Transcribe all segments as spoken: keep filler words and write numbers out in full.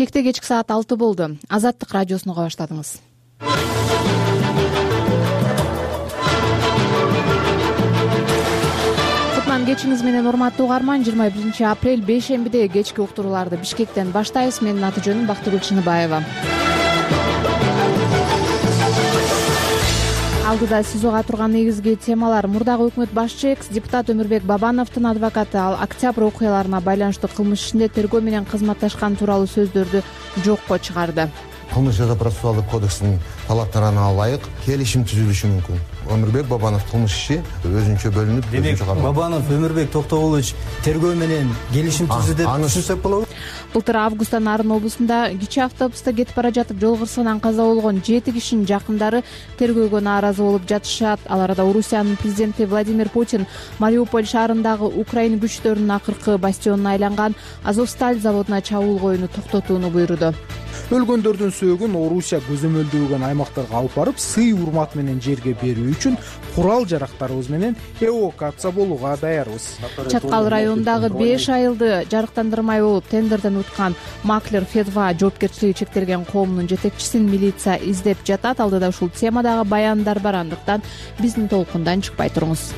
Кекте кечки саат алты болду. Азаттык радиосуну уга баштадыңыз. Кутман кечиңиз менен урматтуу угарман. жыйырма биринчи апрель бейшембиде кечки уктурууларды Бишкектен баштайбыз. Менин аты жөнүм Бактыгүл Чыныбаева. Алдыда сиз уга турган негизги темалар: мурдагы өкмөт башчы экс-депутат Өмүрбек Бабановдун адвокаты ал октябрь окуяларына байланыштуу кылмыш ишинде тергөө менен кызматташкан тууралуу сөздөрдү жокко чыгарды. Кылмыш жаза процессуалдык кодекстин талаптарына ылайык келишим түзүлүшү мүмкүн. Өмүрбек Бабанов кылмыш иши өзүнчө бөлүнүп, өзүнчө каралат. Бабанов Өмүрбек Токтогулович тергөө менен келишим түздү деп түшүнсөк болобу? Былтыр августтан Нарын облусунда кичи автобуста кетип бара жатып жол кырсыгынан каза болгон жети кишинин жакындары тергөөгө нааразы болуп жатышат. Ал арада Орусиянын президенти Владимир Путин Мариуполь шаарындагы Украина күчтөрүнүн акыркы бастионуна айланган Азовсталь заводуна чабуул коюуну токтотууну буйруду. Өлгөндөрдүн сөөгүн Орусия көзөмөлдөгөн аймактарга алып барып, сый урмат менен жерге берүү үчүн курал жарактарыбыз менен эвакуация болууга даярбыз. Чаткал районундагы беш айылды жарыктандырмай болуп тендерден уткан Маклер Федва жоопкерчилиги чектелген коомдун жетекчисин милиция издеп жатат. Алдыда ушул темадагы баяндар бар, андыктан биздин толкундан чыкпай туруңуз.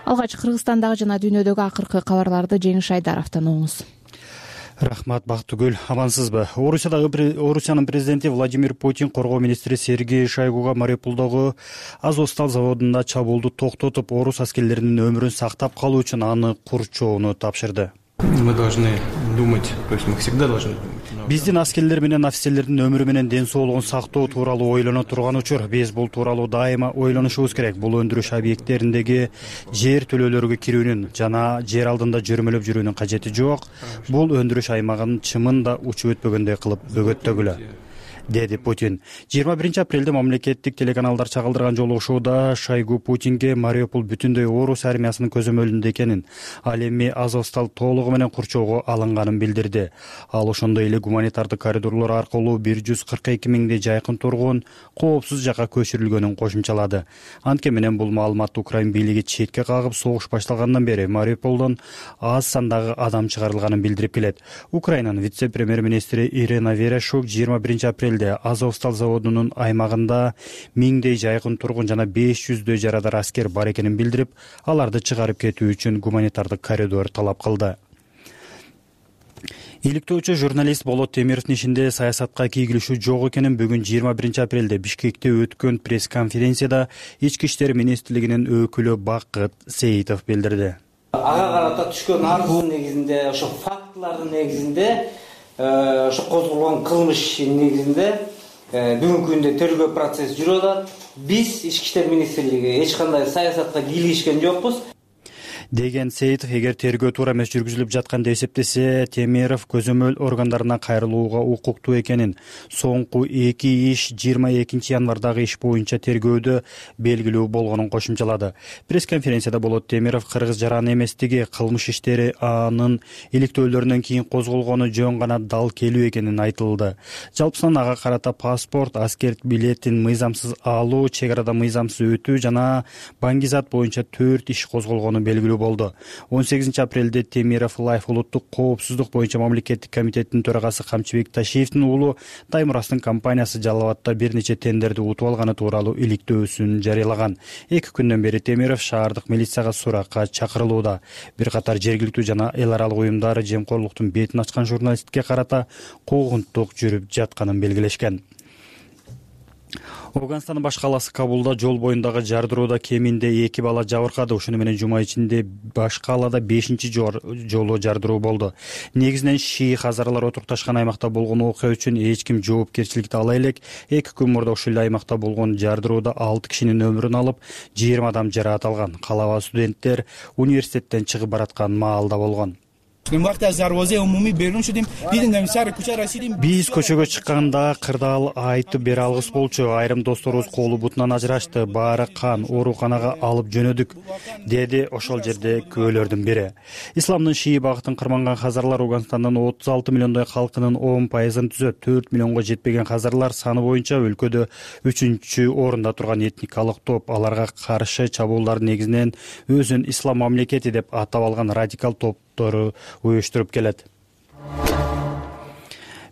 Алгач Кыргызстандагы жана дүйнөдөгү акыркы кабарларды Жеңиш Айдаровдон угуңуз. Рахмат, Бактыгүл. Амансызбы? Орусиядагы Орусиянын президенти Владимир Путин коргоо министри Сергей Шойгуга Мариуполдогу Азовсталь заводунда чабуулду токтотуп, орус аскерлеринин өмүрүн сактап калуу үчүн аны курчоону тапшырды. Мы должны думать, то есть мы всегда должны думать. Биздин аскерлер менен офицерлердин өмүрү менен ден соолугун сактоо тууралуу ойлоно турган учур. Биз бул тууралуу дайыма ойлонушубуз керек. Бул өндүрүш объекттериндеги жер төлөөлөргө кирүүнүн жана жер алдында жөрмөлөп жүрүүнүн кажети жок. Бул өндүрүш аймагын чымын да учуп өтпөгөндөй кылып бөгөттөгүлө, деди Путин. жыйырма биринчи апрелде мамлекеттик телеканалдар чагылдырган жолугушууда Шойгу Путинге Мариуполь бүтүндөй орус армиясынын көзөмөлүндө экенин, ал эми Азовсталь толугу менен курчоого алынганын билдирди. Ал ошондой эле гуманитардык коридорлор аркылуу бир жүз кырк эки миңдей жайкын тургун коопсуз жакка көчүрүлгөнүн кошумчалады. Анткени менен бул маалыматты Украин бийлиги четке кагып, согуш башталгандан бери Мариуполдон аз сандагы адам чыгарылганын билдирип келет. Украинанын вице-премьер-министри Ирина Верешук жыйырма биринчи апрелде Азовсталь заводунун аймагында миңдей жайкын тургун жана беш жүздөй жарадар аскер бар экенин билдирип, аларды чыгарып кетүү үчүн гуманитардык коридор талап кылды. Иликтөөчү журналист Болот Темировдун ишинде саясатка кийгилишүү жок экенин бүгүн жыйырма биринчи апрелде Бишкекте өткөн пресс-конференцияда Ички иштер министрлигинин өкүлү Бакыт Сейитов билдирди. Ага карата түшкөн арыздын негизинде, ошо фактылардын негизинде, ошо козголгон кылмыш негизинде бүгүнкү күндө тергөө процесси жүрүп атат. Биз Ички иштер министрлиги эч кандай саясатка кийлигишкен жокпуз, деген Сейитов. Эгер тергөө туура эмес жүргүзүлүп жаткан деп эсептесе, Темиров көзөмөл органдарына кайрылууга укуктуу экенин, соңку эки иш жыйырма экинчи январдагы иш боюнча тергөөдө белгилүү болгонун кошумчалады. Пресс-конференцияда Болот Темиров кыргыз жараны эместиги, кылмыш иштери анын иликтөөлөрүнөн кийин козголгону жөн гана дал келүү экенин айтылды. Жалпысынан ага карата паспорт, аскер билетин мыйзамсыз алуу, чек арада мыйзамсыз өтүү жана баңгизат боюнча төрт иш козголгону белгилүү болду. он сегизинчи апрелде Темиров Лайф улуттук коопсуздук боюнча мамлекеттик комитеттин төрагасы Камчыбек Ташиевдин уулу Таймурастын компаниясы Жалал Абадта бир нече тендерди утуп алганы тууралуу иликтөөсүн жарыялаган. Эки күндөн бери Темиров шаардык милицияга суракка чакырылууда. Бир катар жергиликтүү жана эл аралык уюмдар жемкорлуктун бетин ачкан журналистке карата куугунтук жүрүп жатканын белгилешкен. Афганстандын баш калаасы Кабулда жол боюндагы жардырууда кеминде эки бала жабыркады. Ошону менен жума ичинде баш калаада бешинчи жолу жардыруу болду. Негизинен шии хазарлар отурукташкан аймакта болгон окуя үчүн эч ким жоопкерчиликти ала элек. Эки күн мурда ушул эле аймакта болгон жардырууда алты кишинин өмүрүн алып, жыйырма адам жараат алган. Калаба студенттер университеттен чыгып бараткан маалда болгон. Биз көчөгө чыкканда кырдаал айтып бере алгыс болчу. Айрым досторубуз колу бутунан ажырашты. Баары кан, ооруканага алып жөнөдүк, деди ошол жерде күбөлөрдүн бири. Исламдын шии багытын кырманган хазарлар Афганстандын отуз алты миллиондой калкынын он пайызын түзөт. төрт миллионго жетпеген хазарлар саны боюнча өлкөдө үчүнчү орунда турган этникалык топ. Аларга каршы чабуулдар негизинен өзүн ислам мамлекети деп атап алган радикал топ уюштуруп келет.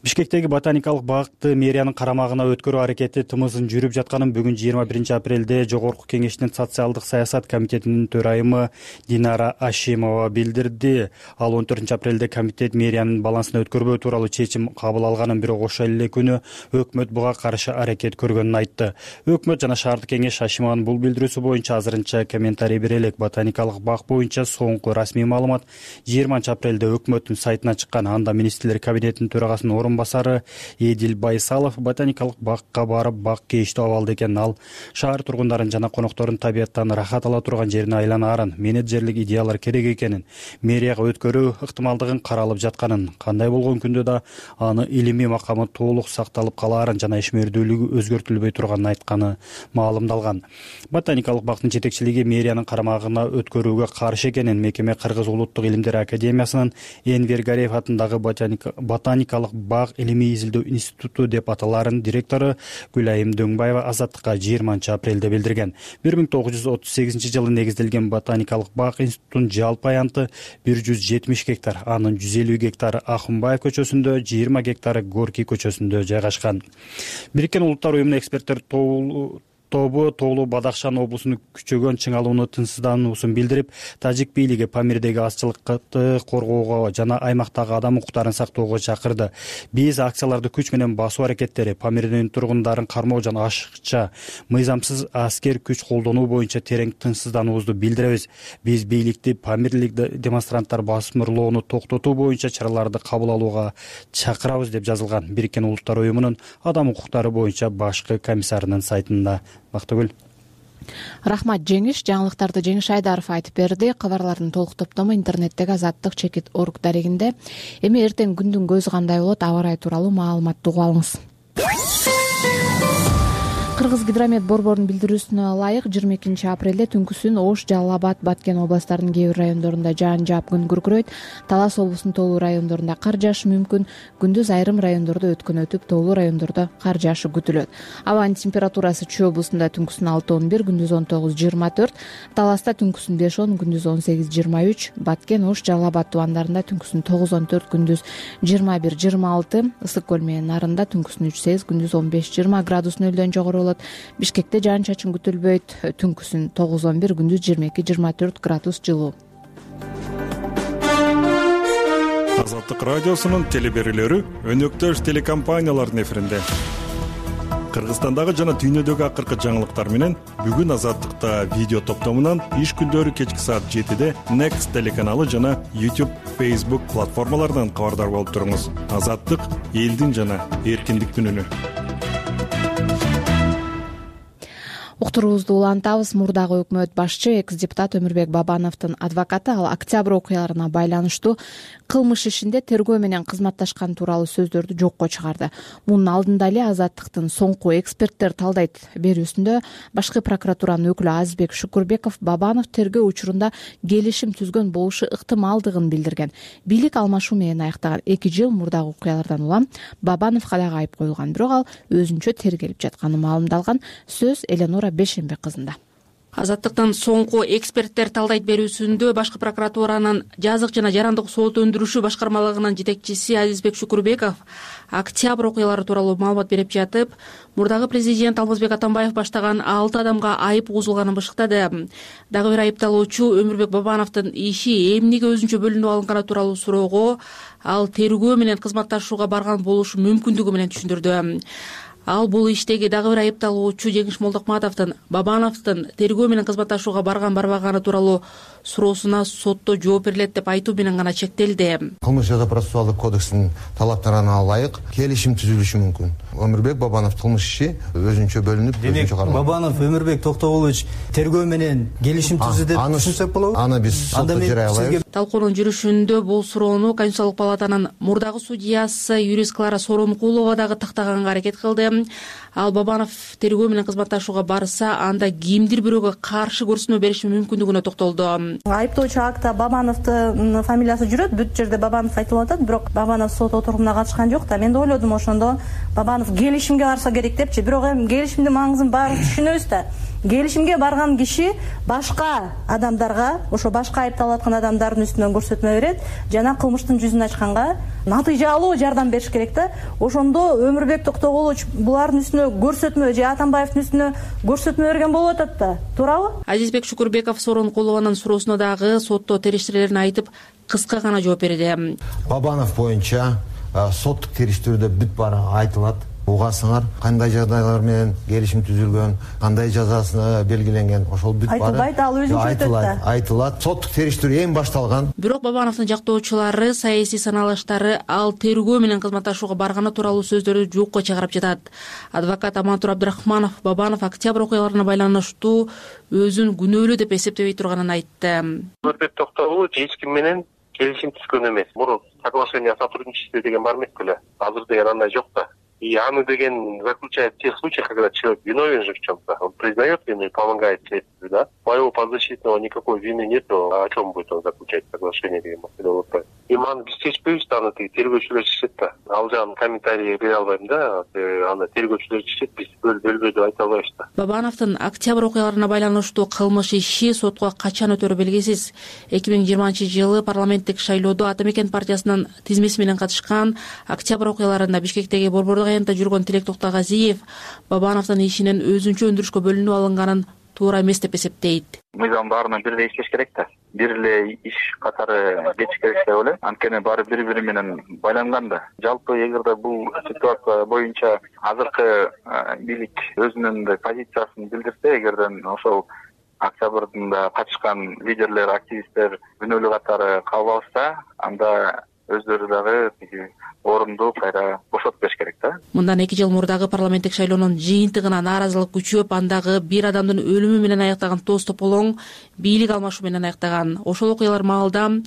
Бишкектеги ботаникалык бакты мэриянын карамагына өткөрүү аракети тымызын жүрүп жатканын бүгүн жыйырма биринчи апрелде Жогорку Кеңештин социалдык саясат комитетинин төрайымы Динара Ашимова билдирди. Ал он төртүнчү апрелде комитет мэриянын балансына өткөрбөө тууралуу чечим кабыл алганын, бирок ошол эле күнү өкмөт буга каршы аракет көргөнүн айтты. Өкмөт жана шаардык кеңеш Ашимованын бул билдирүүсү боюнча азырынча комментарий бере элек. Ботаникалык бак боюнча соңку расмий маалымат жыйырманчы апрелде өкмөттүн сайтына чыккан. Анда министрлер кабинетинин төрагасынын орун басары Эдил Байсалов ботаникалык бакка барып бак кейиштүү абалда экенин, ал шаар тургундарын жана коноктордун табияттан рахат ала турган жерине айланаарын, менеджерлик идеялар керек экенин, мэрияга өткөрүү ыктымалдыгын каралып жатканын, кандай болгон күндө да аны илимий макамы толук сакталып калаарын жана ишмердүүлүгү өзгөртүлбөй турганын айтканы маалымдалган. Ботаникалык бактын жетекчилиги мэриянын карамагына өткөрүүгө каршы экенин мекеме Кыргыз улуттук илимдер академиясынын Энвер Гариев атындагы ботаникалык бак илимий изилдөө институту деп аталарын директору Гүлайым Дөңбаева Азаттыкка жыйырманчы апрелде билдирген. бир миң тогуз жүз отуз сегизинчи жылы негизделген ботаникалык бак институтунун жалпы аянты бир жүз жетимиш гектар, анын жүз элүү гектары Акунбаев көчөсүндө, жыйырма гектары Горький көчөсүндө жайгашкан. Бириккен Улуттар уюмунун эксперттер тобу Тоолуу Бадахшан облусунун күчөгөн чыңалууну тынчсыздануусун билдирип, тажик бийлиги Памирдеги азчылыкты коргоого жана аймактагы адам укуктарын сактоого чакырды. Биз акцияларды күч менен басуу аракеттери, Памирдин тургундарын кармоо жана ашыкча мыйзамсыз аскер күч колдонуу боюнча терең тынчсыздануубузду билдиребиз. Биз бийликти Памирлик демонстранттар басмырлоону токтотуу боюнча чараларды кабыл алууга чакырабыз деп жазылган Бириккен Улуттар уюмунун адам укуктары боюнча башкы комиссарынын сайтында. Бактыгүл. Рахмат Жеңиш. Жаңылыктарды Жеңиш Айдаров айтып берди. Кабарлардын толук топтому интернеттеги Азаттык чекит орг дарегинде. Эми эртең күндүн көзү кандай болот, аба ырайы тууралуу маалыматты угуп алыңыз. Кыргыз гидромет борборунун билдирүүсүнө ылайык жыйырма экинчи апрелде түнкүсүн Ош, Жалал Абад, Баткен областарынын кээ бир райондорунда жаан жаап күн күркүрөйт. Талас облусунун тоолуу райондорунда кар жаашы мүмкүн. Күндүз айрым райондордо өткөн өтүп, тоолуу райондордо кар жаашы күтүлөт. Абанын температурасы Чүй облусунда түнкүсүн алты он бир, күндүз он тогуз жыйырма төрт, Таласта түнкүсүн беш он, күндүз он сегиз жыйырма үч, Баткен, Ош, Жалал Абад тубандарында түнкүсүн тогуз он төрт, күндүз жыйырма бир жыйырма алты, Ысык көл менен Нарында түнкүсүн үч сегиз, күндүз он беш жыйырма градус нөлдөн жогору болот. Бишкекте жаан чачын күтүлбөйт. Түнкүсүн тогуз он бир, күндүз жыйырма эки жыйырма төрт градус жылуу. Азаттык радиосунун телеберүүлөрү өнөктөш телекомпаниялардын эфиринде. Кыргызстандагы жана дүйнөдөгү акыркы жаңылыктар менен бүгүн Азаттыкта видео топтомунан иш күндөрү кечки саат жетиде Next телеканалы жана YouTube, Facebook платформаларынан кабардар болуп туруңуз. Азаттык — элдин жана эркиндиктин үнү. Уктуруубузду улантабыз. Мурдагы өкмөт башчы экс-депутат Өмүрбек Бабановдун адвокаты ал октябрь окуяларына байланыштуу кылмыш ишинде тергөө менен кызматташкан тууралуу сөздөрдү жокко чыгарды. Мунун алдында эле Азаттыктын соңку эксперттер талдайт берүүсүндө башкы прокуратуранын өкүлү Азизбек Шукурбеков Бабанов тергөө учурунда келишим түзгөн болушу ыктымалдыгын билдирген. Бийлик алмашуу менен аяктаган эки жыл мурдагы окуялардан улам Бабановго дагы айып коюлган, бирок ал өзүнчө тергелип жатканы маалымдалган. Сөз Эленора Бешенбек кызында. Азаттыктын соңку эксперттер талдайт берүүсүндө башкы прокуратуранын жазык жана жарандык сот өндүрүшү башкармалыгынын жетекчиси Азизбек Шукурбеков октябрь окуялары тууралуу маалымат берип жатып, мурдагы президент Алмазбек Атамбаев баштаган алты адамга айып угузулганын бышыктады. Дагы бир айыпталуучу Өмүрбек Бабановдун иши эмнеге өзүнчө бөлүнүп алынганы тууралуу суроого ал тергөө менен кызматташууга барган болушу мүмкүндүгү менен түшүндүрдү. Ал бул иштеги дагы бир айыпталуучу Жеңиш Молдокматовдун Бабановдун тергөө менен кызматташууга барган барбаганы тууралуу суроосуна сотто жооп берилет деп айтуу менен гана чектелди. Кылмыш жаза процессуалдык кодекстин талаптарына ылайык келишим түзүлүшү мүмкүн. Өмүрбек Бабанов кылмыш иши өзүнчө бөлүнүп, өзүнчө каралат. Бабанов Өмүрбек Токтогулович тергөө менен келишим түздү деп түшүнсөк болобу? Аны биз сотто жарай алабыз. Талкуунун жүрүшүндө бул суроону Конституциялык палатанын мурдагы судьясы юрист Клара Сооронкулова дагы тактаганга аракет кылды. Ал Бабанов тергөө менен кызматташууга барса, анда кимдир бирөөгө каршы көрсөтмө бериши мүмкүндүгүнө токтолду. Айыптоочу акта Бабановдун фамилиясы жүрөт, бүт жерде Бабанов айтылып атат, бирок Бабанов сот отурумуна катышкан жок да. Мен да ойлодум ошондо Бабанов келишимге барса керек депчи, бирок эми келишимдин маңызын баары түшүнөбүз да. келишимге барган киши башка адамдарга, ошо башка айыпталып аткан адамдардын үстүнөн көрсөтмө берет жана кылмыштын жүзүн ачканга натыйжалуу жардам бериш керек да. Ошондо Өмүрбек Токтогулович булардын үстүнө көрсөтмө же Атамбаевдин үстүнө көрсөтмө берген болуп атат да. Туурабы? Азизбек Шукурбеков Сооронкулованын суроосуна дагы сотто териштирлерин айтып, кыска гана жооп берди. Бабанов боюнча соттук териштирүүдө бүт баары айтылат. Угасыңар кандай жагдайлар менен келишим түзүлгөн, кандай жазасы белгиленген, ошол бүт баары айтылбайт, ал өзүнчө өтөт да. Айтылат. Соттук териштирүү эми башталган. Бирок Бабановдун жактоочулары саясий саналыштары ал тергөө менен кызматташууга барганы тууралуу сөздөрдү жокко чыгарып жатат. Адвокат Амантур Абдрахманов Бабанов октябрь окуяларына байланыштуу өзүн күнөөлүү деп эсептебей турганын айтты. Өмүрбек Токтогулович эч ким менен келишим түзгөн эмес. Мурун соглашение о сотрудничестве деген бар эмес беле. Азыр деген андай жок да. И аны деген заключает в тех случаях, когда человек виновен же в чем-то, он признает вину и помогает следствию, да. По его подзащитного никакой вины нет, о чем будет он заключать соглашение деген маселе. И маны биз чечпейбиз да, аны тергөөчүлөр чечет да. Ал жагын комментарий бере албайм да. Аны тергөөчүлөр чечет, биз бөлбөй деп айта албайбыз да. Бабановдун октябрь окуяларына байланыштуу кылмыш иши сотко качан өтөрү белгисиз. эки миң жыйырманчы жылы парламенттик шайлоодо Ата Мекен партиясынын тизмеси менен катышкан, октябрь окуяларында Бишкектеги борбордук аянтта жүргөн Тилек Токтогазиев Бабановдун ишинин өзүнчө өндүрүшкө бөлүнүп алынганын туура эмес деп эсептейт. Мыйзам баарына бирдей иштеш керек да. Бир эле иш катары кетиш керек деп ойлойм. Анткени баары бири-бири менен байланган да. Жалпы эгерде бул ситуация боюнча азыркы бийлик өзүнүн позициясын билдирсе, эгерден ошол октябрда катышкан лидерлер, активисттер күнөөлүү катары кабыл алышса, анда өздөрү дагы орунду кайра бошотуп бериш керек да. Мындан эки жыл мурдагы парламенттик шайлоонун жыйынтыгына нааразылык күчөп, андагы бир адамдын өлүмү менен аяктаган тоз тополоң бийлик алмашуу менен аяктаган. Ошол окуялар маалда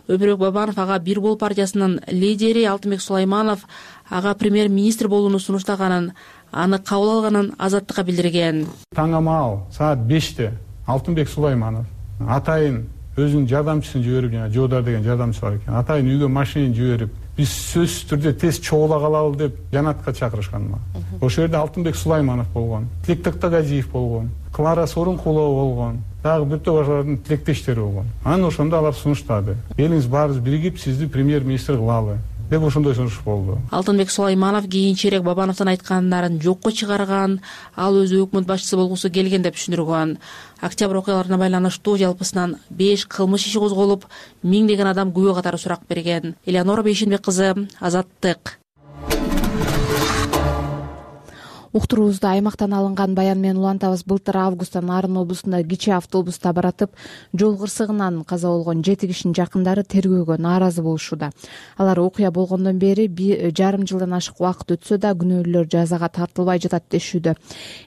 Өмүрбек Бабанов ага Бир Бол партиясынын лидери Алтынбек Сулайманов ага премьер-министр болууну сунуштаганын, аны кабыл алганын Азаттыкка билдирген. Таңамаал саат беште Алтынбек Сулайманов атайын өзүнүн жардамчысын жиберип, жана Жоодар деген жардамчысы бар экен. Атайын үйгө машина жиберип, биз сөзсүз түрдө тез чогула калалы деп жанатка чакырышкан. Ошол жерде Алтынбек Сулайманов болгон, Тилек Токтогазиев болгон, Клара Сооронкулова болгон, дагы бир топ башкалардын тилектештери болгон. Анан ошондо алар сунуштады. Элиңиз баарыбыз биригип сизди премьер-министр кылалы деп ошондой сунуш болду. Алтынбек Сулайманов кийинчерээк Бабановдун айткандарын жокко чыгарган, ал өзү өкмөт башчысы болгусу келген деп түшүндүргөн. Октябрь окуяларына байланыштуу жалпысынан беш кылмыш иши козголуп, миңдеген адам күбө катары сурак берген. Элеонора Бейшенбек кызы, Азаттык. Уктуруубузду аймактан алынган баян менен улантабыз. Былтыр августта Нарын облусунда кичи автобуста баратып жол кырсыгынан каза болгон жети кишинин жакындары тергөөгө нааразы болушууда. Алар окуя болгондон бери жарым жылдан ашык убакыт өтсө да күнөөлүүлөр жазага тартылбай жатат дешүүдө.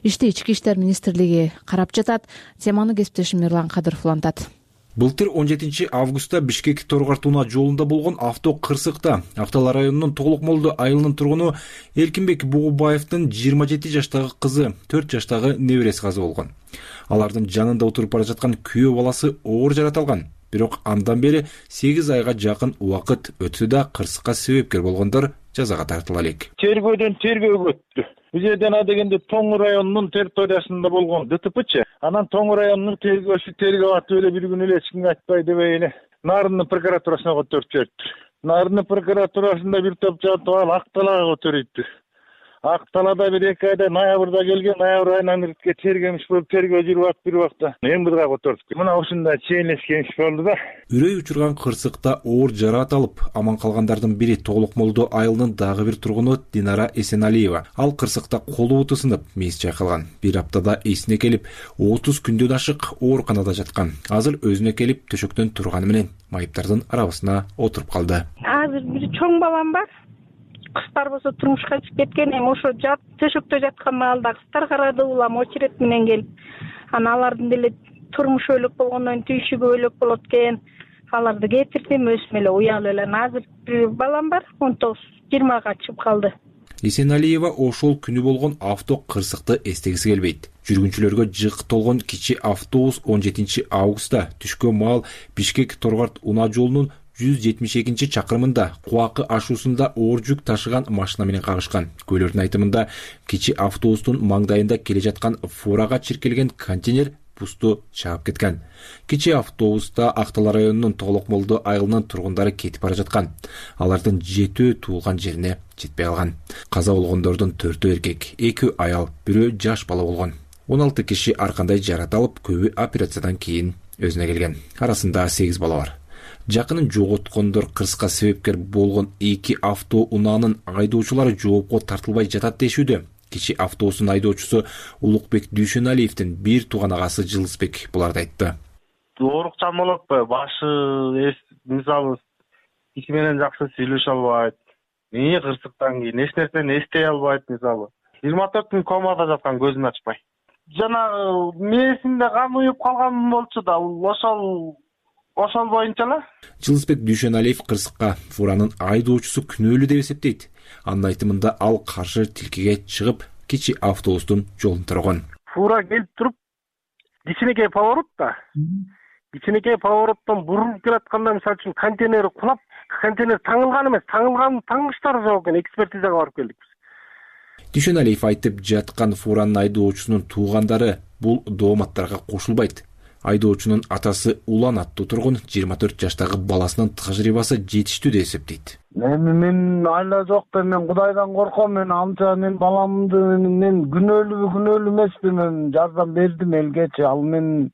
Ишти Ички иштер министрлиги карап жатат. Теманы кесиптешим Эрлан Кадыров улантат. Былтыр он жетинчи августта Бишкек Торгорт Унаа жолунда болгон авто кырсыкта Актала районунун Тоглук Молду айылынын тургуну Эркинбек Бугубаевдин жыйырма жети жаштагы кызы, төрт жаштагы небереси каза болгон. Алардын жанында отуруп бара жаткан күйөө баласы оор жарат алган. Бирок андан бери сегиз айга жакын убакыт өтсө да кырсыкка себепкер болгондор жазага тартыла элек. Тергөөдөн тергөөгө өттү. Бул жерден адегенде Тоң районунун территориясында болгон ДТПчы. Анан Тоң районунун тергөөчүсү тергөө атып эле бир күн эле эч кимге айтпай дебей эле Нарындын прокуратурасына көтөрүп жиберди. Нарындын прокуратурасында бир топ жатып алып Акталага көтөрүйтү. Акталада бир эки айда ноябрда келген, ноябрь айынан иртке тергемиш болуп тергөө жүрүп атып бир убакта эмбидга көтөрдүк. Мына ушундай чейинлешкен иш болду да. Үрөй учурган кырсыкта оор жараат алып, аман калгандардын бири Тоглук Молду айылынын дагы бир тургуну Динара Эсеналиева. Ал кырсыкта колу буту сынып, мээси чайкалган. Бир аптада эсине келип, отуз күндөн ашык ооруканада жаткан. Азыр өзүнө келип төшөктөн турганы менен майыптардын арабасына отуруп калды. Азыр бир чоң балам бар. Кыздар болсо турмушка чыгып кеткен, эми ошо жат төшөктө жаткан маалда кыздар карады, улам очерет менен келип. Анан алардын деле турмушу өлөк болгондон түйшүгү өлөк болот экен. Аларды кетирдим, өзүм эле уялып эле. Азыр бир балам бар, он тогуз жыйырмага чыгып калды. Эсеналиева ошол күнү болгон авто кырсыкты эстегиси келбейт. Жүргүнчүлөргө жык толгон кичи автобус он жетинчи августта түшкөн маал Бишкек Торгорт Унаа жолунун жүз жетимиш экинчи чакырымында Кубакы ашуусунда оор жүк ташыган машина менен кагышкан. Куйлөрдүн айтымында кичи автобустун маңдайында келе жаткан фурага чиркелген контейнер бусту чаап кеткен. Кичи автобуста Актала районунун Толок Молду айылынын тургундары кетип бара жаткан. Алардын жетөө туулган жерине жетпей калган. Каза болгондордун төртөө эркек, эки аял, бирөө жаш бала болгон. он алты киши ар кандай жарат алып, көбү операциядан кийин өзүнө келген. Арасында сегиз бала бар. Жакынын жоготкондор кырсыкка себепкер болгон эки автоунаанын айдоочулары жоопко тартылбай жатат дешүүдө. Кичи автобустун айдоочусу Улукбек Дүйшөналиевдин бир тууган агасы Жылысбек буларды айтты. Оорукчан болот, башы мисалы киши менен жакшы сүйлөшө албайт. Эмне кырсыктан кийин эч нерсени эстей албайт мисалы. жыйырма төрт күн комада жаткан, көзүн ачпай. Жана мээсинде кан уюп калган болчу да, ошол ошол боюнча эле. Жылысбек Дүйшөналиев кырсыкка фуранын айдоочусу күнөөлүү деп эсептейт. Анын айтымында ал каршы тилкеге чыгып, кичи автобустун жолун тараган. Фура келип туруп, кичинекей поворот да. Кичинекей повороттон буруп келатканда, мисалы үчүн контейнер кулап, контейнер таңылган эмес, таңылган таңгычтары жок экен, экспертизага барып келдик биз. Дүйшөналиев айтып жаткан фуранын айдоочусунун туугандары бул дооматтарга кошулбайт. Айдоочунун атасы Улан аттуу тургун жыйырма төрт жаштагы баласынын тажрыйбасы жетиштүү деп эсептейт. Мен мен айла жок да, мен Кудайдан корком, мен анча мен баламды мен күнөөлүү күнөөлүү эмесмин, мен жардам бердим элгечи. Ал мен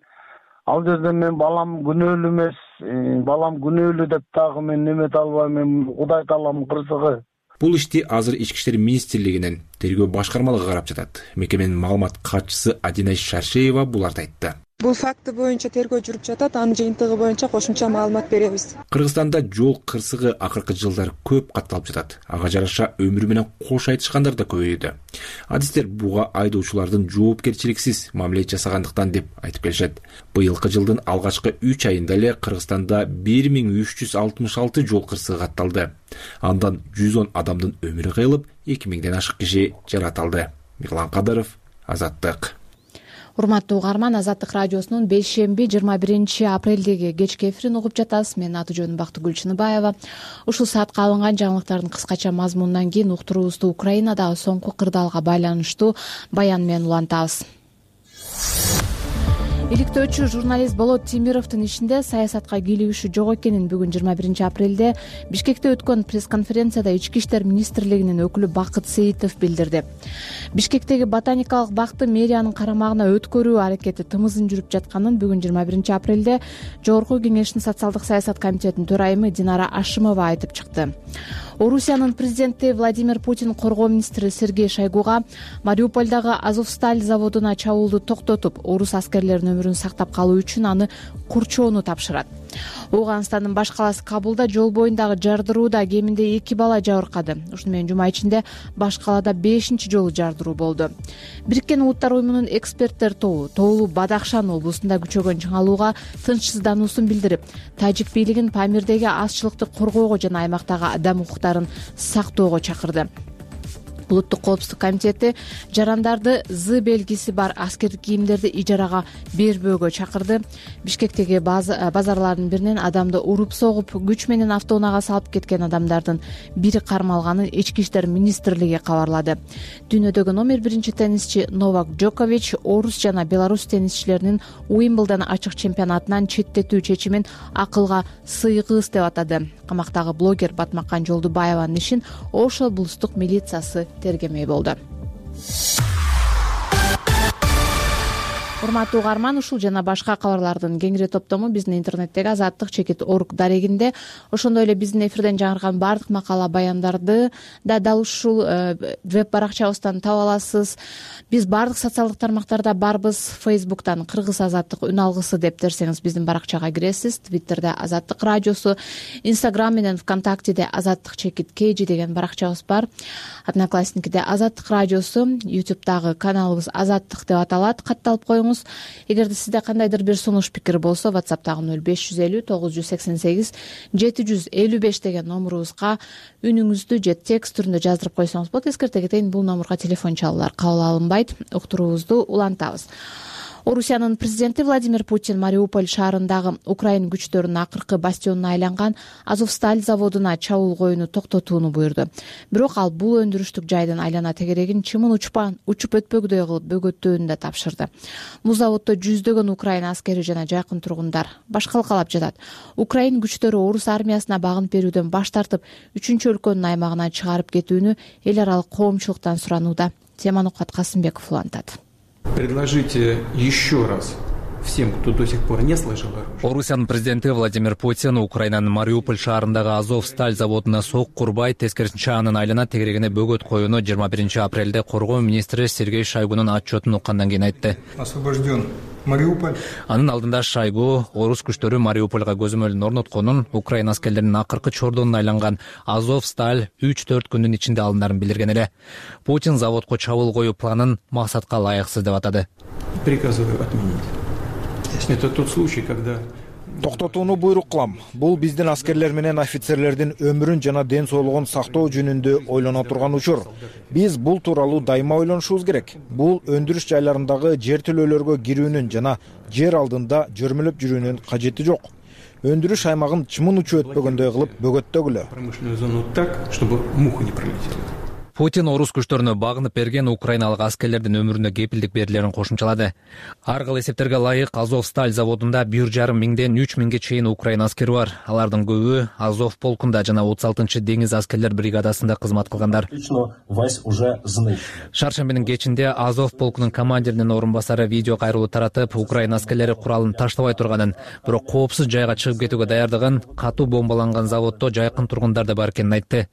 ал жерден мен балам күнөөлүү эмес, балам күнөөлүү деп дагы мен немете албайм, мен Кудай таалам кырсыгы. Бул ишти азыр Ички иштер министрлигинин тергөө башкармалыгы карап жатат. Мекеменин маалымат катчысы Адинай Шаршеева буларды айтты. Бул факты боюнча тергөө жүрүп жатат, анын жыйынтыгы боюнча кошумча маалымат беребиз. Кыргызстанда жол кырсыгы акыркы жылдары көп катталып жатат. Ага жараша өмүрү менен кош айтышкандар да көбөйдү. Адистер буга айдоочулардын жоопкерчиликсиз мамиле жасагандыктан деп айтып келишет. Быйылкы жылдын алгачкы үч айында эле Кыргызстанда бир миң үч жүз алтымыш алты жол кырсыгы катталды. Андан жүз он адамдын өмүрү кыйылып, эки миңден ашык киши жарат алды. Мирлан Кадыров, Азаттык. Урматтуу угарман, Азаттык радиосунун бейшемби жыйырма биринчи апрелдеги кечки эфирин угуп жатасыз. Менин аты жөнүм Бактыгүл Чыныбаева. Ушул саатка алынган жаңылыктардын кыскача мазмунунан кийин уктуруубузду Украинадагы соңку кырдаалга байланыштуу баян менен улантабыз. Иликтөөчү журналист Болот Темировдун ишинде саясатка кийлигиши жок экенин бүгүн жыйырма биринчи апрелде Бишкекте өткөн пресс-конференцияда Ички иштер министрлигинин өкүлү Бакыт Сейитов билдирди. Бишкектеги ботаникалык бакты мэриянын карамагына өткөрүү аракети тымызын жүрүп жатканын бүгүн жыйырма биринчи апрелде Жогорку Кеңештин социалдык саясат комитетинин төрайымы Динара Ашимова айтып чыкты. Орусиянын президенти Владимир Путин коргоо министри Сергей Шойгуга Мариупольдагы Азовсталь заводуна чабуулду токтотуп, орус аскерлеринин өмүрүн сактап калуу үчүн аны курчоону тапшырат. Ооганстандын баш калаасы Кабулда жол боюндагы жардырууда кеминде эки бала жабыркады. Ушуну менен жума ичинде баш калаада бешинчи жолу жардыруу болду. Бириккен Улуттар уюмунун эксперттер тобу Тоолу Бадахшан облусунда күчөгөн чыңалууга тынчсыздануусун билдирип, тажик бийлигин Памирдеги азчылыкты коргоого жана аймактагы адам укуктарын сактоого чакырды. Улуттук коопсуздук комитети жарандарды З белгиси бар аскердик кийимдерди ижарага бербөөгө чакырды. Бишкектеги базарлардын биринен адамды уруп согуп, күч менен автоунаага салып кеткен адамдардын бири кармалганын Ички иштер министрлиги кабарлады. Дүйнөдөгү номер биринчи теннисчи Новак Джокович орус жана белорус теннисчилеринин Уимблдон ачык чемпионатынан четтетүү чечимин акылга сыйгыз деп атады. Камактагы блогер Батмакан Жолдубаеванын ишин Ош облустук милициясы тергемей болду. Урматтуу угарман, ушул жана башка кабарлардын кеңири топтому биздин интернеттеги азаттык чекит орг дарегинде, ошондой эле биздин эфирден жаңырган баардык макала баяндарды да дал ушул веб баракчабыздан таба аласыз. Биз баардык социалдык тармактарда барбыз. Фейсбуктан Кыргыз азаттык үн алгысы деп терсеңиз биздин баракчага киресиз. Твиттерде Азаттык радиосу, Инстаграм менен ВКонтактеде Азаттык чекит kg деген баракчабыз бар. Одноклассникиде Азаттык радиосу, Ютубтагы каналыбыз Азаттык деп аталат. Катталып коюңуз. Эгерде сизде кандайдыр бир сунуш пикир болсо, WhatsApp'тагы нөл беш жүз элүү тогуз жүз сексен сегиз жети жүз элүү беш деген номурубузга үнүңүздү же текст түрүндө жаздырып койсоңуз болот. Эскерте кетейин, бул номурга телефон чалуулар кабыл алынбайт. Уктуруубузду улантабыз. Орусиянын президенти Владимир Путин Мариуполь шаарындагы Украин күчтөрүнүн акыркы бастионуна айланган Азовсталь заводуна чабуул токтотууну буйрду. Бирок ал бул өндүрүштүк жайдын айлана тегерегин чымын учпан учуп өтпөгүдөй кылып бөгөттөөнү да тапшырды. Бул заводдо жүздөгөн Украин аскери жана жакын тургундар башкалкалап жатат. Украин күчтөрү орус армиясына багынып берүүдөн баш тартып, үчүнчү өлкөнүн аймагына чыгарып кетүүнү эл аралык коомчулуктан суранууда. Теманы Кубат Касымбеков улантат. Предложите еще раз всем, кто до сих пор не слышал оружие. Орусиянын президенти Владимир Путин Украинанын Мариуполь шаарындагы Азовсталь заводуна сок курбай, тескерисинче анын айлана тегерегине бөгөт коюуну жыйырма биринчи апрелде коргоо министри Сергей Шойгунун отчетун уккандан кийин айтты. Освобожден Мариуполь. Анын алдында Шойгу орус күчтөрү Мариупольга көзөмөлүн орнотконун, Украин аскерлеринин акыркы чордонуна айланган Азовсталь үч төрт күндүн ичинде алындарын билдирген эле. Путин заводко чабуул коюу планын максатка ылайыксыз деп атады. Приказываю отменить. Это тот случай, когда токтотууну буйрук кылам. Бул биздин аскерлер менен офицерлердин өмүрүн жана ден соолугун сактоо жөнүндө ойлоно турган учур. Биз бул тууралуу дайыма ойлонушубуз керек. Бул өндүрүш жайларындагы жер төлөөлөргө кирүүнүн жана жер алдында жөрмөлөп жүрүүнүн кажети жок. Өндүрүш аймагын чымын учуп өтпөгөндөй кылып бөгөттөгүлө. Промышленную зону так, чтобы муха не пролетела. Путин орус күчтөрүнө багынып берген украиналык аскерлердин өмүрүнө кепилдик берилерин кошумчалады. Ар кыл эсептерге ылайык Азовсталь заводунда бир жарым миңден үч миңге чейин украин аскери бар. Алардын көбү Азов полкунда жана отуз алтынчы деңиз аскерлер бригадасында кызмат кылгандар. Шаршембинин кечинде Азов полкунун командиринин орун басары видео кайрылуу таратып, украин аскерлери куралын таштабай турганын, бирок коопсуз жайга чыгып кетүүгө даярдыгын, катуу бомбаланган заводдо жайкын тургундар да бар экенин айтты.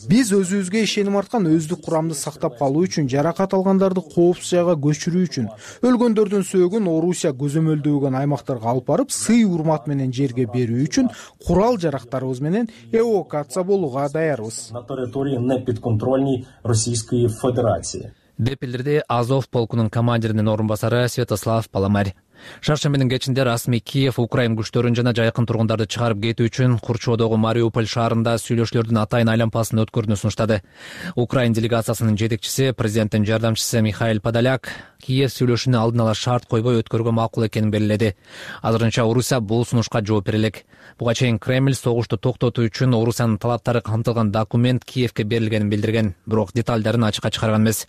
Биз өзүбүзгө ишеним арткан өздүк курамды сактап калуу үчүн, жаракат алгандарды коопсуз жайга көчүрүү үчүн, өлгөндөрдүн сөөгүн Орусия көзөмөлдөгөн аймактарга алып барып, сый урмат менен жерге берүү үчүн курал жарактарыбыз менен эвакуация болууга даярбыз. На территории неподконтрольной Российской Федерации деп билдирди Азов полкунун командиринин орун басары Святослав Паламарь. Шаршембинин кечинде расмий Киев Украин күчтөрүн жана жайкын тургундарды чыгарып кетүү үчүн Курчоодогу Мариуполь шаарында сүйлөшүүлөрдүн атайын айланпасын өткөрүүнү сунуштады. Украин делегациясынын жетекчиси, президенттин жардамчысы Михаил Подоляк Киев сүйлөшүүнү алдын ала шарт койбой өткөрүүгө макул экенин белгиледи. Азырынча Орусия бул сунушка жооп бере элек. Буга чейин Кремль согушту токтотуу үчүн Орусиянын талаптары камтылган документ Киевке берилгенин билдирген, бирок деталдарын ачыкка чыгарган эмес.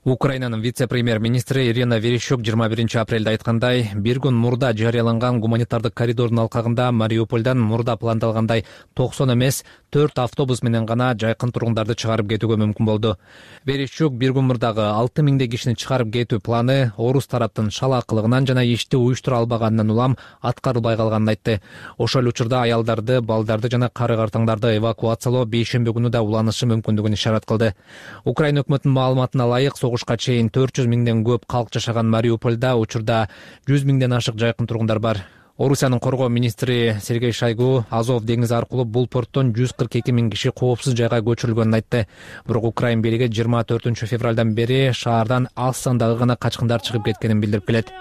Украинанын вице-премьер-министри Ирина Верещук жыйырма биринчи апрелде айткандай, бир күн мурда жарыяланган гуманитардык коридордун алкагында Мариупольдан мурда пландалгандай токсон эмес төрт автобус менен гана жайкын тургундарды чыгарып кетүүгө мүмкүн болду. Верещук бир күн мурдагы алты миңдей кишини чыгарып кетүү планы орус тараптын шалаакылыгынан жана ишти уюштура албаганынан улам аткарылбай калганын айтты. Ошол учурда аялдарды, балдарды жана кары картаңдарды эвакуациялоо бейшемби күнү да уланышы мүмкүндүгүн ишарат кылды. Украин өкмөтүнүн маалыматына ылайык, согушка чейин төрт жүз миңден көп калк жашаган Мариупольда учурда жүз миңден ашык жайкын тургундар бар. Орусиянын коргоо министри Сергей Шойгу Азов деңизи аркылуу бул порттон жүз кырк эки миң киши коопсуз жайга көчүрүлгөнүн айтты. Бирок Украин бийлиги жыйырма төртүнчү февралдан бери шаардан аз сандагы гана качкындар чыгып кеткенин билдирип келет.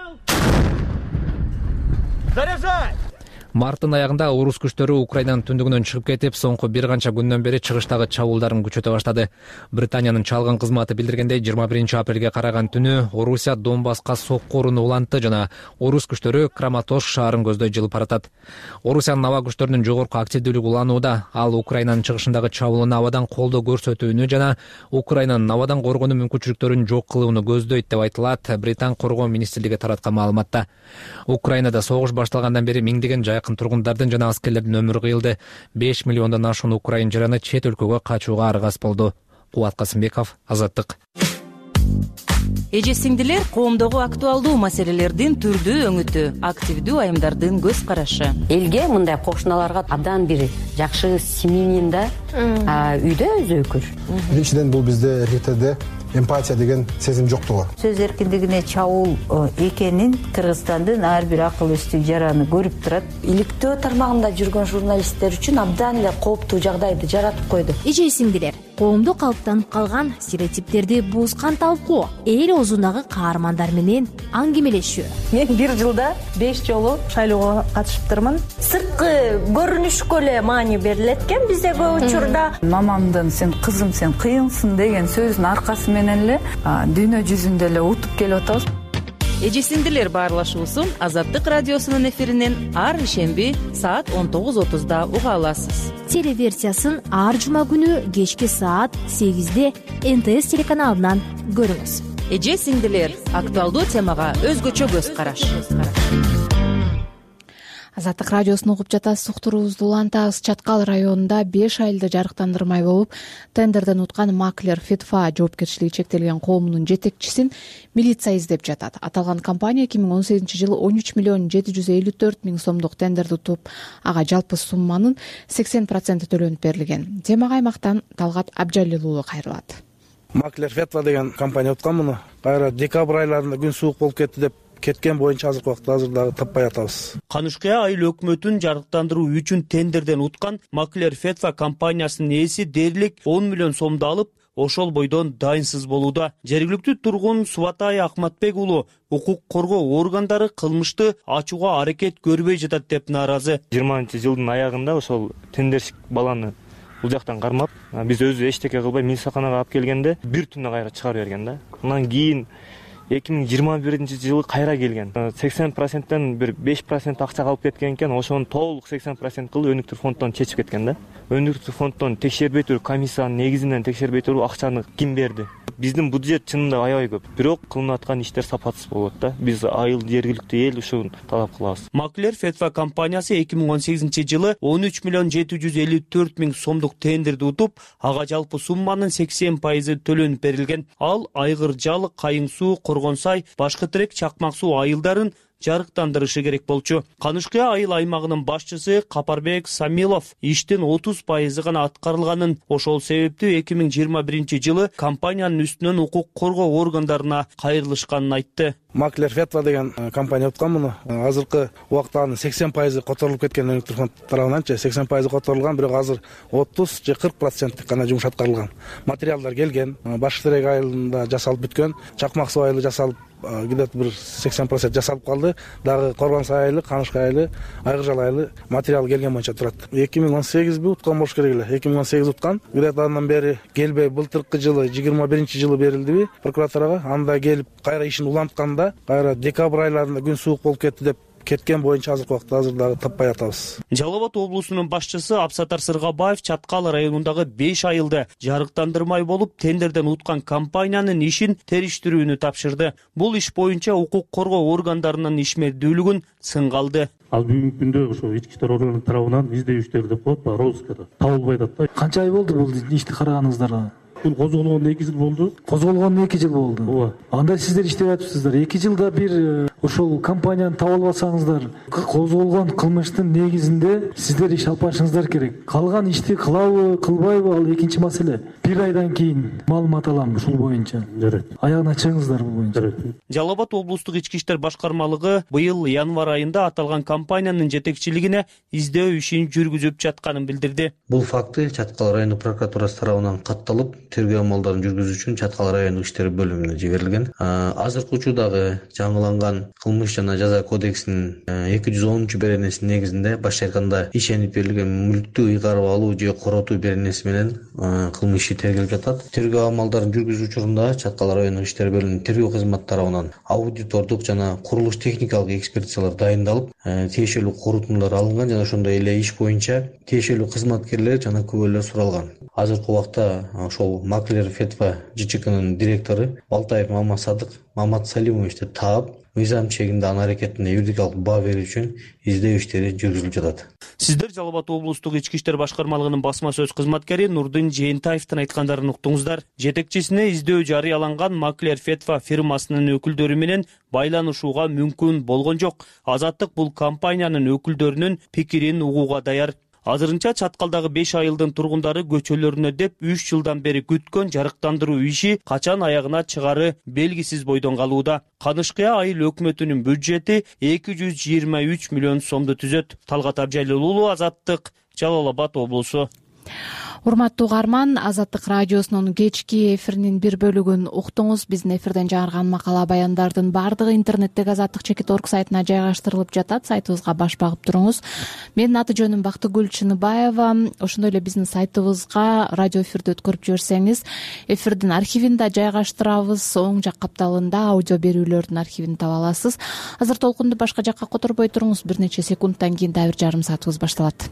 Марттын аягында орус күчтөрү Украинанын түндүгүнөн чыгып кетип, соңку бир канча күндөн бери чыгыштагы чабуулдарын күчөтө баштады. Британиянын чалгын кызматы билдиргендей, жыйырма биринчи апрелге караган түнү Орусия Донбасска сокку урууну улантты жана орус күчтөрү Краматорск шаарын көздөй жылып баратат. Орусиянын аба күчтөрүнүн жогорку активдүүлүгү уланууда. Ал Украинанын чыгышындагы чабуулуна абадан колдоо көрсөтүүнү жана Украинанын абадан коргонуу мүмкүнчүлүктөрүн жок кылууну көздөйт деп айтылат Британ коргоо министрлиги тараткан маалыматта. Украинада согуш башталгандан бери миңдеген жайкын тургундардын жана аскерлердин өмүрү кыйылды. беш миллиондон ашуун украин жараны чет өлкөгө качууга аргас болду. Кубат Касымбеков, Азаттык. Эже сиңдилер, коомдогу актуалдуу маселелердин түрдүү өңүтү, активдүү айымдардын көз карашы. Элге мындай кошуналарга абдан бир жакшы семьянин да үйдө өзөкүр. Биринчиден бул бизде эркектерде эмпатия деген сезим жоктугу. Сөз эркиндигине чабуул экенин Кыргызстандын ар бир акыл эстүү жараны көрүп турат. Иликтөө тармагында жүргөн журналисттер үчүн абдан эле кооптуу жагдайды жаратып койду. Эже сиңдилер, коомдо калыптанып калган стереотиптерди бузган талкуу, эл оозундагы каармандар менен аңгемелешүү. Мен бир жылда беш жолу шайлоого катышыптырмын. Сырткы көрүнүшкө эле маани берилет экен бизде көп учурда. Мамамдын "сен кызым, сен кыйынсың" деген сөзүнүн аркасы менен эле дүйнө жүзүндө эле утуп келип атабыз. Эжесиңдилер баарлашуусун Азаттык радиосунун эфиринен ар ишемби саат он тогуз отузда уга аласыз. Телеверсиясын ар жума күнү кечки саат сегизде эн тэ эс телеканалынан көрүңүз. Эже-сиңдилер актуалдуу темага өзгөчө көз караш. Азаттык радиосун угуп жатасыз, уктуруубузду улантабыз. Чаткал районунда беш айлды жарыктандырмай болуп, тендерден уткан маклер Фетфа жоопкерчилиги чектелген коомунун жетекчисин милиция издеп жатат. Аталган компания эки миң он сегизинчи жылы он үч миллион жети жүз элүү төрт миң сомдук тендерди утуп, ага жалпы сумманын сексен проценти төлөнүп берилген. Темага аймактан Талгат Абжалил уулу кайрылат. Маклер Фетфа деген компания уткан муну. Кайра декабрь айларында күн суук болуп кетти деп кеткен боюнча азыркы убакта азыр таппай атабыз. Канышкыя айыл өкмөтүн жарыктандыруу үчүн тендерден уткан Маклер Фетфа компаниясынын ээси дээрлик он миллион сомду алып, ошол бойдон дайынсыз болууда. Жергиликтүү тургун Субатай Акматбек уулу укук коргоо органдары кылмышты ачууга аракет көрбөй жатат деп нааразы. жыйырманчы жылдын аягында ошол тендерщик баланы бул жактан кармап, биз өзү эчтеке кылбай милицияканага алып келгенде бир түндө кайра чыгарып берген да. Андан кийин эки миң жыйырма биринчи жылы кайра келген. сексен проценттен бир беш процент акча калып кеткен экен, ошону толук сексен процент кылып өнүктүр фонддон чечип кеткен да. Өнүктүр фонддон текшербей туруп, комиссиянын негизинен текшербей туруп акчаны ким берди? Биздин бюджет чынында аябай көп, бирок кылынып аткан иштер сапатсыз болот да. Биз айыл жергиликтүү эл ушуну талап кылабыз. Маклер Фетфа компаниясы эки миң он сегизинчи жылы он үч миллион жети жүз элүү төрт миң сомдук тендерди утуп, ага жалпы сумманын сексен пайызы төлөнүп берилген. Ал Айгыр Жалык, Кайың суу, Коргон сай, Башкы Терек, Чакмак суу айылдарын жарыктандырышы керек болчу. Канышкыя айыл аймагынын башчысы Капарбек Самилов иштин отуз пайызы гана аткарылганын, ошол себептүү эки миң жыйырма биринчи жылы компаниянын үстүнөн укук коргоо органдарына кайрылышканын айтты. Маклер Фетфа деген компания уткан муну. Азыркы убакта анын сексен пайызы которулуп кеткен өнүктүр фонд тарабынан, сексен пайызы которулган, бирок азыр отуз же кырк процент гана жумуш аткарылган. Материалдар келген, Башкы Терек айылында жасалып бүткөн, Чакмак суу айылы жасалып где-то бир сексен процент жасалып калды. Дагы Коргон сай айылы, Канышкы айылы, Айгыр Жал айылы материал келген боюнча турат. эки миң он сегизби уткан болуш керек эле. эки миң он сегиз уткан. Где-то андан бери келбей, былтыркы жылы жыйырма биринчи жылы берилдиби прокуратурага. Анда келип кайра ишин улантканда, кайра декабрь айларында күн суук болуп кетти деп кеткен боюнча азыркы убакта азыр дагы таппай атабыз. Жалал Абад облусунун башчысы Абсатар Сыргабаев Чаткал районундагы беш айылды жарыктандырмай болуп, тендерден уткан компаниянын ишин териштирүүнү тапшырды. Бул иш боюнча укук коргоо органдарынын ишмердүүлүгүн сынга алды. Ал бүгүнкү күндө ошо ички иштер органы тарабынан издөөчтөр деп коет, розыскада табылбай атат. Канча ай болду бул ишти караганыңыздарга? Бул козголгондо эки жыл болду. Козголгондо эки жыл болду. Ооба. Анда сиздер иштеп атыпсыздар. эки жылда бир ошол компанияны таба албасаңыздар, козголгон кылмыштын негизинде сиздер иш алып барышыңыздар керек. Калган ишти кылабы, кылбайбы ал экинчи маселе. Бир айдан кийин маалымат алам ушул боюнча. Жарайт. Аягына чыгыңыздар бул боюнча. Жарайт. Жалал Абад облустук ички иштер башкармалыгы быйыл январь айында аталган компаниянын жетекчилигине издөө ишин жүргүзүп жатканын билдирди. Бул факты Чаткал райондук прокуратурасы тарабынан катталып, тергөө амалдарын жүргүзүү үчүн Чаткал райондук иштер бөлүмүнө жиберилген. Азыркы учурдагы жаңыланган кылмыш жана жаза кодексинин эки жүз онунчу беренесинин негизинде башка айтканда ишенип берилген мүлктү ыйгарып алуу же коротуу беренеси менен кылмыш иши тергелип жатат. Тергөө амалдарын жүргүзүү учурунда Чаткал райондук иштер бөлүмүнүн тергөө кызматы тарабынан аудитордук жана курулуш техникалык экспертизалар дайындалып, тиешелүү корутундулар алынган жана ошондой эле иш боюнча тиешелүү кызматкерлер жана күбөлөр суралган. Азыркы убакта ошол Маклер Фетфа ЖЧКнын директору Балтаев Мамасадык Мамат Салимовичти таап, мыйзам чегинде анын аракетине юридикалык баа берүү үчүн издөө иштери жүргүзүлүп жатат. Сиздер Жалал Абад облустук ички иштер башкармалыгынын басма сөз кызматкери Нурдин Жээнтаевдин айткандарын уктуңуздар. Жетекчисине издөө жарыяланган Маклер Фетфа фирмасынын өкүлдөрү менен байланышууга мүмкүн болгон жок. Азаттык бул компаниянын өкүлдөрүнүн пикирин угууга даяр. Азырынча Чаткалдагы беш айылдын тургундары көчөлөрүнө деп үч жылдан бери күткөн жарыктандыруу иши качан аягына чыгары белгисиз бойдон калууда. Канышкыя айыл өкмөтүнүн бюджети эки жүз жыйырма үч миллион сомду түзөт. Талгат Абжалил уулу, Азаттык, Жалал Абад облусу. Урматтуу угарман, Азаттык радиосунун кечки эфиринин бир бөлүгүн уктуңуз. Биздин эфирден жаңырган макала баяндардын баардыгы интернеттеги азаттык чекит орг сайтына жайгаштырылып жатат. Сайтыбызга баш багып туруңуз. Менин аты жөнүм Бактыгүл Чыныбаева. Ошондой эле биздин сайтыбызга радио эфирди өткөрүп жиберсеңиз, эфирдин архивин да жайгаштырабыз. Оң жак капталында аудио берүүлөрдүн архивин таба аласыз. Азыр толкунду башка жакка которбой туруңуз. Бир нече секундтан кийин дагы бир жарым саатыбыз башталат.